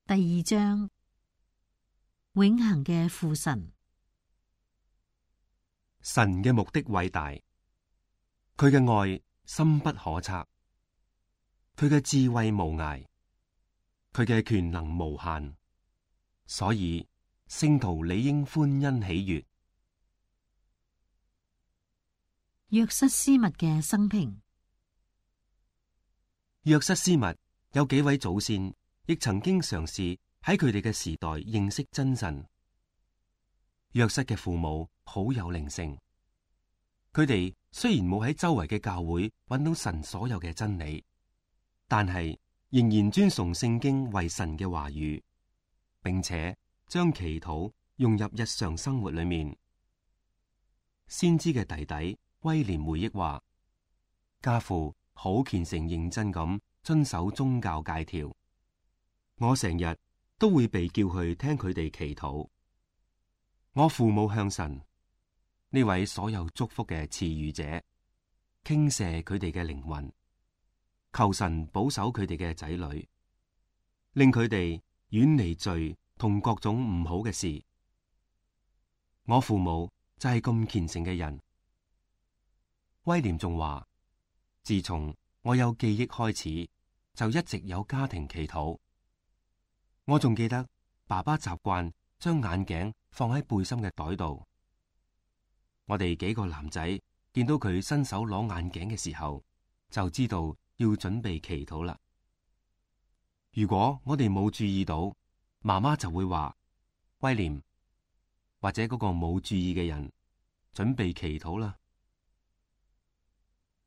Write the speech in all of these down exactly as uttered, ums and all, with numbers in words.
第二章，永恆嘅父神。神嘅目的偉大，佢嘅愛深不可測，佢嘅智慧無涯，佢嘅權能無限，所以聖徒理應歡欣喜悅。約瑟斯密嘅生平。約瑟斯密有幾位祖先亦曾經嘗試喺佢哋嘅時代認識真神。約瑟嘅父母好有靈性，佢哋雖然冇喺周圍嘅教會揾到神所有嘅真理，但係仍然尊崇聖經為神嘅話語，並且將祈禱融入日常生活裏面。先知嘅弟弟威廉回憶話，家父好虔誠認真咁遵守宗教戒條，我成日都會被叫去聽佢哋祈禱。我父母向神呢位所有祝福嘅賜予者傾瀉佢哋嘅靈魂，求神保守佢哋嘅仔女，令佢哋遠離罪同各種唔好嘅事。我父母就係咁虔誠嘅人。威廉仲話，自從我有記憶開始，就一直有家庭祈禱。我仲記得爸爸習慣將眼鏡放喺背心嘅袋度。我哋幾個男仔見到佢伸手攞眼鏡嘅時候，就知道要準備祈禱啦。如果我哋冇注意到，媽媽就會話，威廉，或者嗰個冇注意嘅人準備祈禱啦。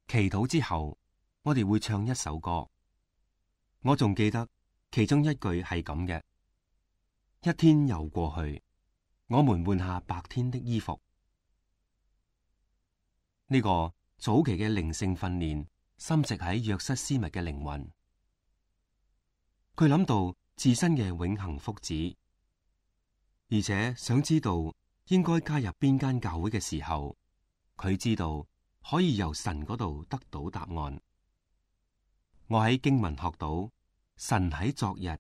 祈禱之後，我哋會唱一首歌。我仲記得其中一句係咁嘅：一天又過去，我們換下白天的衣服。呢個早期嘅靈性訓練深植喺約瑟斯密嘅靈魂。佢諗到自身嘅永恆福祉，而且想知道應該加入邊間教會嘅時候，佢知道可以由神嗰度得到答案。我喺經文學到，神喺昨日、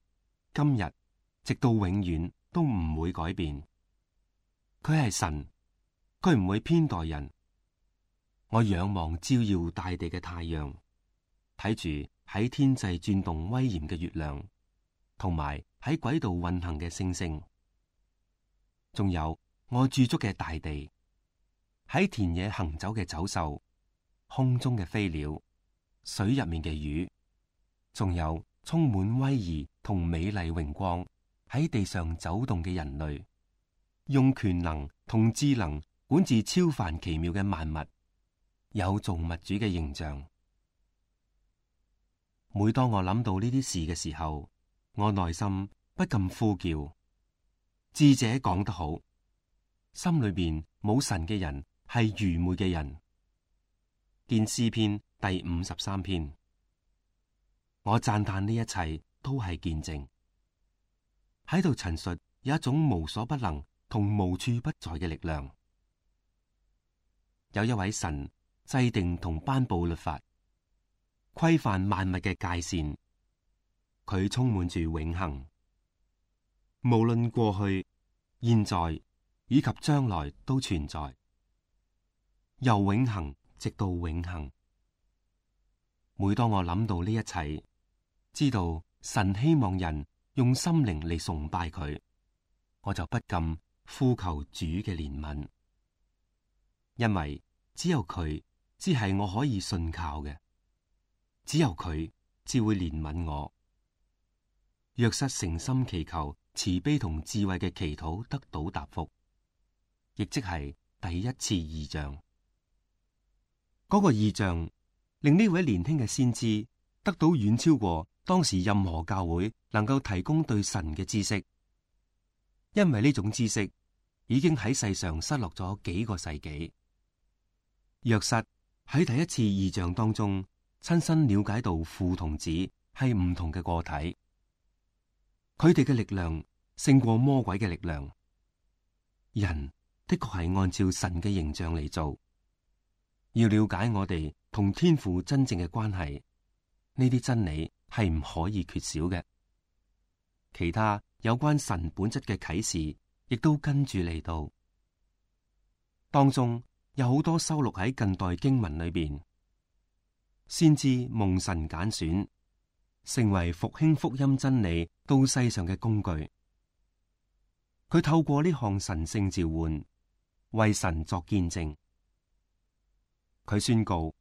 今日，直到永遠都唔會改變。佢係神，佢唔會偏待人。我仰望照耀大地嘅太陽，睇住喺天際轉動威嚴嘅月亮，同埋喺軌道運行嘅星星，仲有我駐足嘅大地，喺田野行走嘅走獸，空中嘅飛鳥，水入面嘅魚，仲有充滿威儀同美麗榮光喺地上走動嘅人類，用權能同智能管治超凡奇妙嘅萬物，有造物主嘅形象。每當我諗到呢啲事嘅時候，我內心不禁呼叫：智者講得好，心裏邊冇神嘅人係愚昧嘅人。見詩篇第五十三篇。我讚嘆呢一切都係見證，喺度陳述有一種無所不能同無處不在嘅力量。有一位神制定同頒布律法，規範萬物嘅界線，佢充滿住永恆，無論過去、現在以及將來都存在，由永恆直到永恆。每當我諗到呢一切，知道神希望人用心靈嚟崇拜佢，我就不禁呼求主嘅憐憫，因為只有佢只係我可以信靠嘅，只有佢只會憐憫我。約瑟誠心祈求慈悲同智慧嘅祈禱得到答覆，亦即係第一次異象。嗰、那個異象令呢位年輕嘅先知得到遠超過當時任何教會能夠提供對神嘅知識，因為呢種知識已經喺世上失落咗幾個世紀。約瑟喺第一次異象當中親身了解到父同子係唔同嘅個體，佢哋嘅力量勝過魔鬼嘅力量。人的確係按照神嘅形象嚟做。要了解我哋同天父真正嘅關係，呢啲真理係唔可以缺少嘅。其他有關神本質嘅啟示亦都跟住嚟到。當中有好多收錄喺近代經文裏邊，先知蒙神揀選，成為復興福音真理到世上嘅工具。佢透過呢項神聖召喚，為神作見證。佢宣告：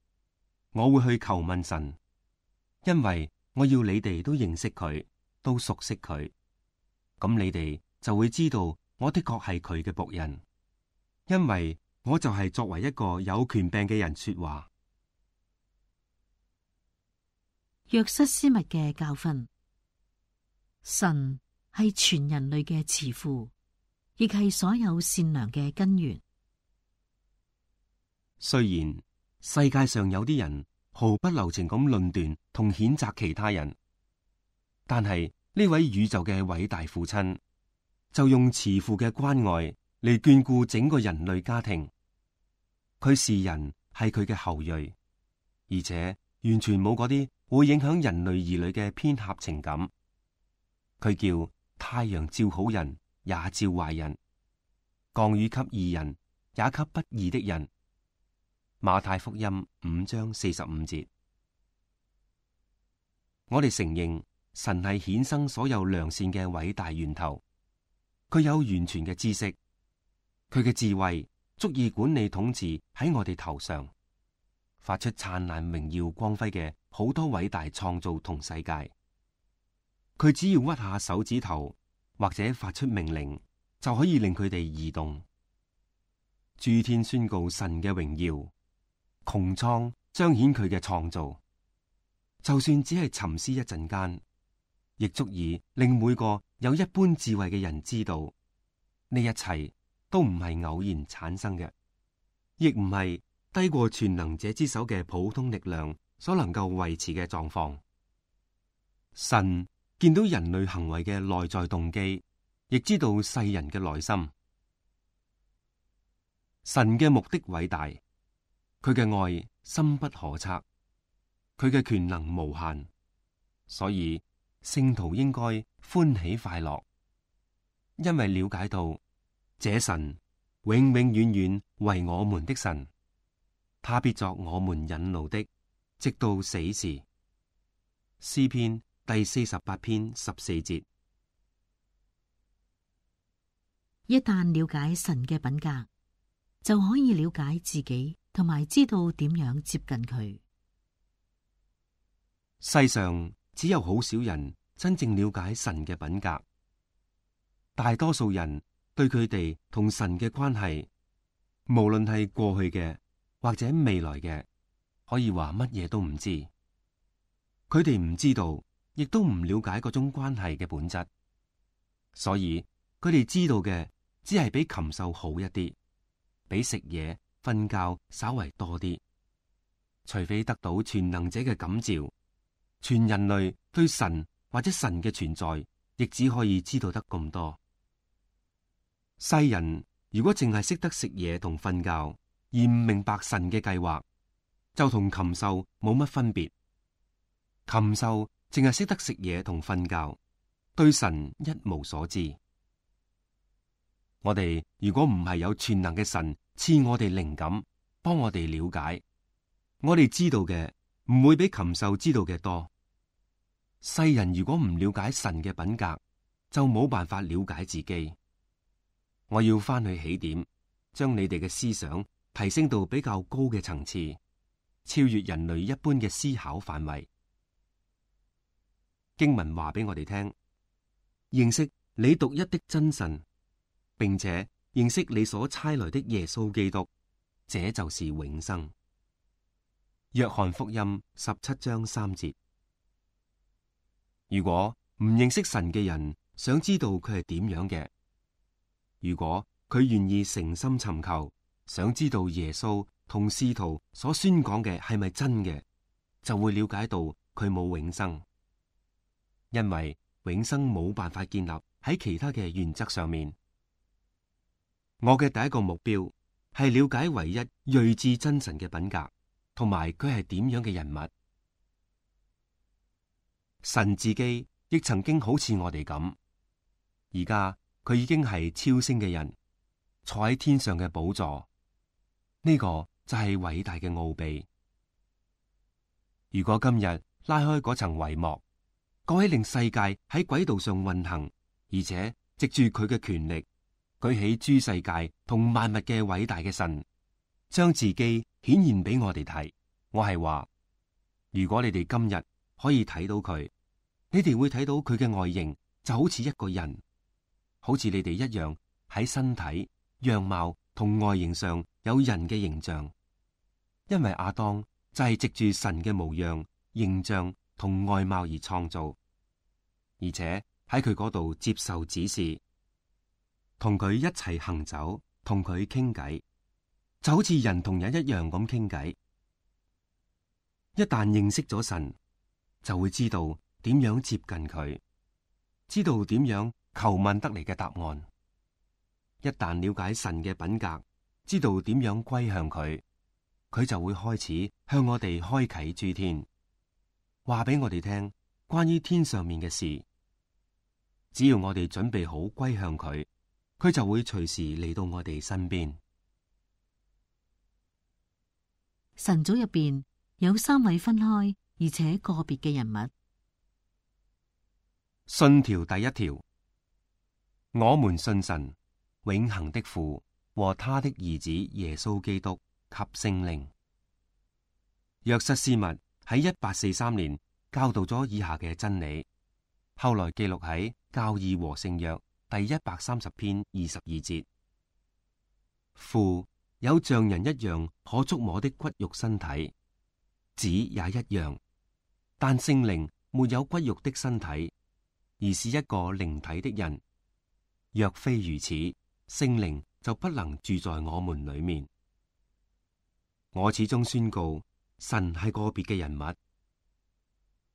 我會去求問神，因為我要你哋都認識佢，都熟悉佢。咁你哋就會知道我的確係佢嘅僕人，因為我就係作為一個有權柄嘅人說話。約瑟斯密嘅教訓：神係全人類嘅慈父，亦係所有善良嘅根源。雖然世界上有啲人毫不留情咁論斷同譴責其他人，但係呢位宇宙嘅偉大父親就用慈父嘅關愛嚟眷顧整個人類家庭。佢視人係佢嘅後裔，而且完全冇嗰啲會影響人類兒女嘅偏狹情感。佢叫太陽照好人也照壞人，降雨給義人也給不義的人。馬太福音五章四十五節。我哋承認神係衍生所有良善嘅偉大源頭，佢有完全嘅知識，佢嘅智慧足以管理統治喺我哋頭上，發出燦爛榮耀光輝嘅好多偉大創造同世界。佢只要屈下手指頭或者發出命令，就可以令佢哋移動。諸天宣告神嘅榮耀，穹蒼彰顯佢嘅創造。就算只係沉思一陣間，亦足以令每個有一般智慧嘅人知道，呢一切都唔係偶然產生嘅，亦唔係低過全能者之手嘅普通力量所能夠維持嘅狀況。神見到人類行為嘅內在動機，亦知道世人嘅內心。神嘅目的偉大，佢嘅愛深不可測，佢嘅權能無限，所以聖徒應該歡喜快樂，因為了解到這神永永遠遠為我們的神，他必作我們引路的，直到死時。詩篇第四十八篇十四節。一旦了解神嘅品格，就可以了解自己，同埋知道點樣接近佢。世上只有好少人真正了解神嘅品格，大多數人對佢哋同神嘅關係，無論係過去嘅或者未來嘅，可以話乜嘢都唔知。佢哋唔知道，亦都唔了解嗰種關係嘅本質，所以佢哋知道嘅只係比禽獸好一啲，比食嘢、瞓覺稍為多啲。除非得到全能者嘅感召，全人類對神或者神嘅存在，亦只可以知道得咁多。世人如果淨係識得食嘢同瞓覺，而唔明白神嘅計劃，就同禽獸冇乜分別。禽獸淨係識得食嘢同瞓覺，對神一無所知。我哋如果唔係有全能嘅神賜我哋靈感，幫我哋了解，我哋知道嘅唔會比禽獸知道嘅多。世人如果唔了解神嘅品格，就冇辦法了解自己。我要翻去起點，將你哋嘅思想提升到比較高嘅層次，超越人類一般嘅思考範圍。經文話俾我哋聽，認識你獨一的真神，並且認識你所差來的耶穌基督，這就是永生。約翰福音十七章三節。如果唔認識神嘅人想知道佢係點樣嘅，如果佢願意誠心尋求，想知道耶穌同使徒所宣講嘅係咪真嘅，就會了解到佢冇永生。因為永生冇辦法建立喺其他嘅原則上面。我嘅第一個目標係了解唯一睿智真神嘅品格，同埋佢係點樣嘅人物。神自己亦曾經好似我哋咁，而家佢已經係超升嘅人，坐喺天上嘅寶座。呢個就係偉大嘅奧秘。如果今日拉開嗰層帷幕，嗰位令世界喺軌道上運行，而且藉住佢嘅權力舉起諸世界同萬物嘅偉大嘅神，將自己顯現俾我哋睇，我係話，如果你哋今日可以睇到佢，你哋會睇到佢嘅外形就好似一個人，好似你哋一樣喺身體、樣貌同外形上有人嘅形象。因為亞當就係藉住神嘅模樣、形象同外貌而創造，而且喺佢嗰度接受指示，同佢一齊行走，同佢傾偈，就好似人同人一樣咁傾偈。一旦認識咗神，就會知道點樣接近佢，知道點樣求問得嚟嘅答案。一旦了解神嘅品格，知道點樣歸向佢，佢就會開始向我哋開啟諸天，話俾我哋聽關於天上面嘅事。只要我哋準備好歸向佢，佢就會隨時嚟到我哋身邊。神組入邊有三位分開而且個別嘅人物。信條第一條，我們信神，永恆的父和他的兒子耶穌基督及聖靈。約瑟斯密喺一八四三年教導咗以下嘅真理，後來記錄喺教義和聖約第一百三十篇二十二節。父有像人一樣可觸摸的骨肉身體，子也一樣，但聖靈沒有骨肉的身體，而是一個靈體的人。若非如此，聖靈就不能住在我們裏面。我始終宣告，神係個別嘅人物，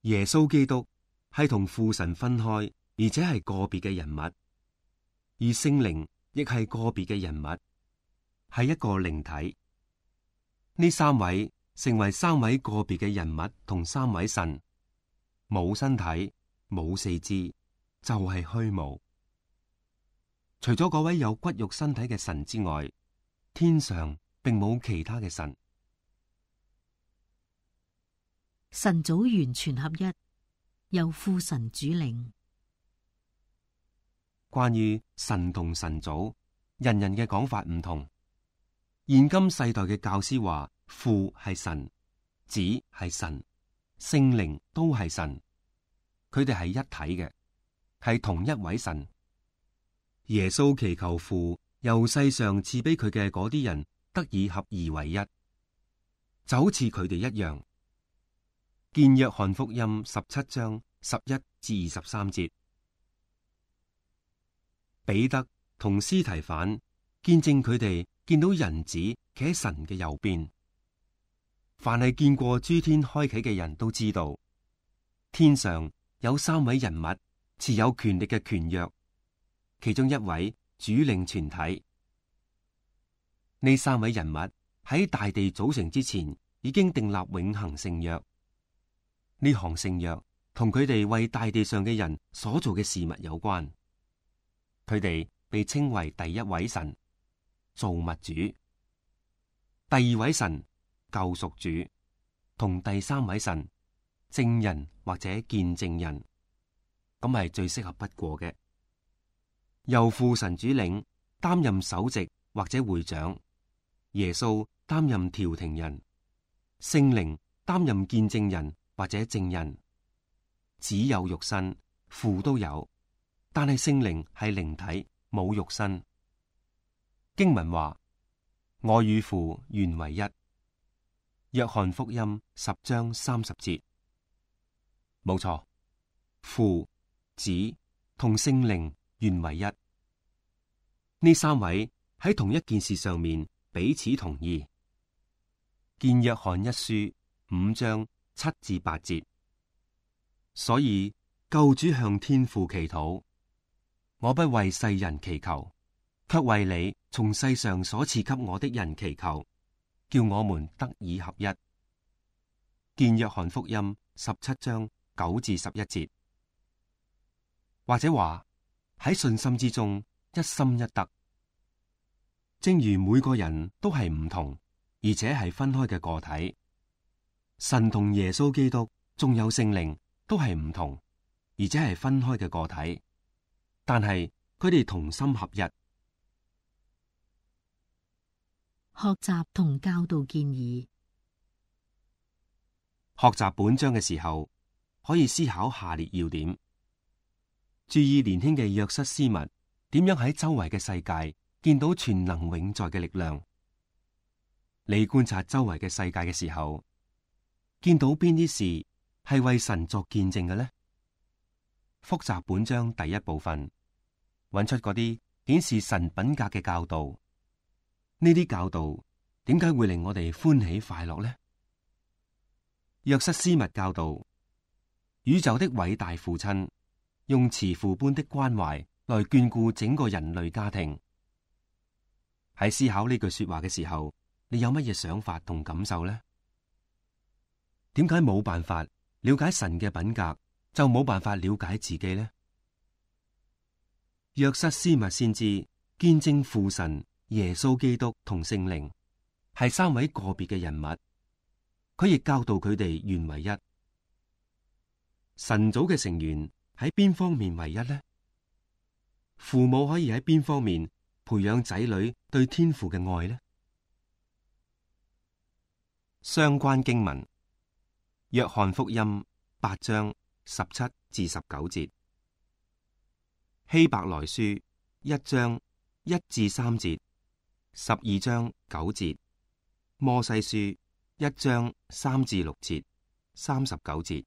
耶穌基督係同父神分開，而且係個別嘅人物，而聖靈亦係個別嘅人物，係一個靈體。呢三位成為三位個別嘅人物同三位神，冇身體，冇四肢，就係虛無。除咗嗰位有骨肉身體嘅神之外，天上並冇其他嘅神。神組完全合一，由父神主領。關於神同神組，人人嘅講法唔同。現今世代嘅教師話，父係神，子係神，聖靈都係神，佢哋係一體嘅，係同一位神。耶穌祈求父由世上賜俾佢嘅嗰啲人得以合而為一，就好似佢哋一樣。見約翰福音十七章十一至二十三節。彼得同司提反見證佢哋見到人子企喺神嘅右邊。凡係見過諸天開啟嘅人都知道，天上有三位人物持有權力嘅權約，其中一位主領全體。呢三位人物喺大地組成之前已經訂立永恆聖約。呢項聖約同佢哋為大地上嘅人所做嘅事物有關。佢哋被稱為第一位神，造物主；第二位神，救贖主；同第三位神，證人或者見證人。咁係最適合不過嘅。由父神主領，擔任首席或者會長；耶穌擔任調停人；聖靈擔任見證人或者證人。子有肉身，父都有，但係聖靈係靈體，冇肉身。經文話：我與父原為一。約翰福音十章三十節。冇錯，父、子同聖靈原為一。呢三位喺同一件事上面彼此同意。見約翰一書五章七至八節。所以救主向天父祈禱：我不為世人祈求，卻為你從世上所賜給我的人祈求，叫我們得以合一。見約翰福音十七章九至十一節。或者話，喺信心之中一心一德。正如每個人都係唔同，而且係分開嘅個體，神同耶穌基督仲有聖靈都係唔同，而且係分開嘅個體，但係佢哋同心合一。學習同教導建議。學習本章嘅時候，可以思考下列要點：注意年輕嘅約瑟斯密點樣喺周圍嘅世界見到全能永在嘅力量。你觀察周圍嘅世界嘅時候，見到邊啲事係為神作見證嘅呢？複習本章第一部分，揾出嗰啲顯示神品格嘅教導。呢啲教導點解會令我哋歡喜快樂呢？約瑟斯密教導，宇宙的偉大父親用慈父般的關懷來眷顧整個人類家庭。喺思考呢句說話嘅時候，你有乜嘢想法同感受呢？點解冇辦法了解神嘅品格，就冇辦法了解自己呢？約瑟斯密先知見證父神、耶穌基督同聖靈係三位個別嘅人物，佢亦教導佢哋原為一。神組嘅成員喺邊方面為一呢？父母可以喺邊方面培養仔女對天父嘅愛呢？相關經文：約翰福音八章十七至十九節，希伯來書一章一至三節，十二章九節，摩西書一章三至六節，三十九節。